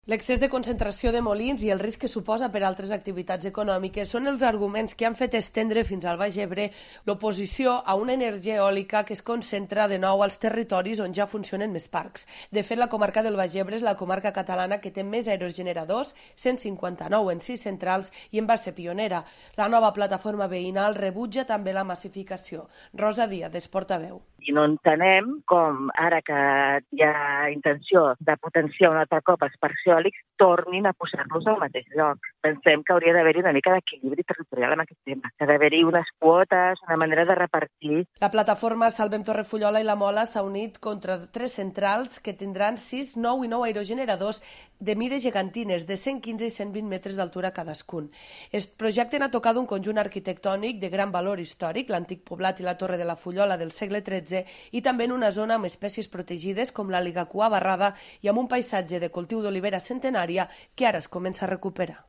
L'excés de concentració de molins i el risc que suposa per a altres activitats econòmiques són els arguments que han fet estendre fins al Baix Ebre l'oposició a una energia eòlica que es concentra de nou als territoris on ja funcionen més parcs. De fet, la comarca del Baix Ebre és la comarca catalana que té més aerogeneradors, 159 en 6 centrals, i en va ser pionera. La nova plataforma veïnal rebutja també la massificació. Rosa Díaz, és portaveu. I no entenem com, ara que hi ha intenció de potenciar un altre cop els parcs eòlics, tornin a posar-los al mateix lloc. Pensem que hauria d'haver-hi una mica d'equilibri territorial en aquest tema, que ha d'haver-hi unes quotes, una manera de repartir. La plataforma Salvem Torrefollola i la Mola s'ha unit contra 3 centrals que tindran 6, 9 i 9 aerogeneradors de mides gegantines, de 115 i 120 metres d'altura cadascun. Es projecten a tocar d'un conjunt arquitectònic de gran valor històric, l'antic poblat i la Torre de la Fullola del segle XIII, i també en una zona amb espècies protegides com la ligacua barrada i amb un paisatge de cultiu d'olivera centenària que ara es comença a recuperar.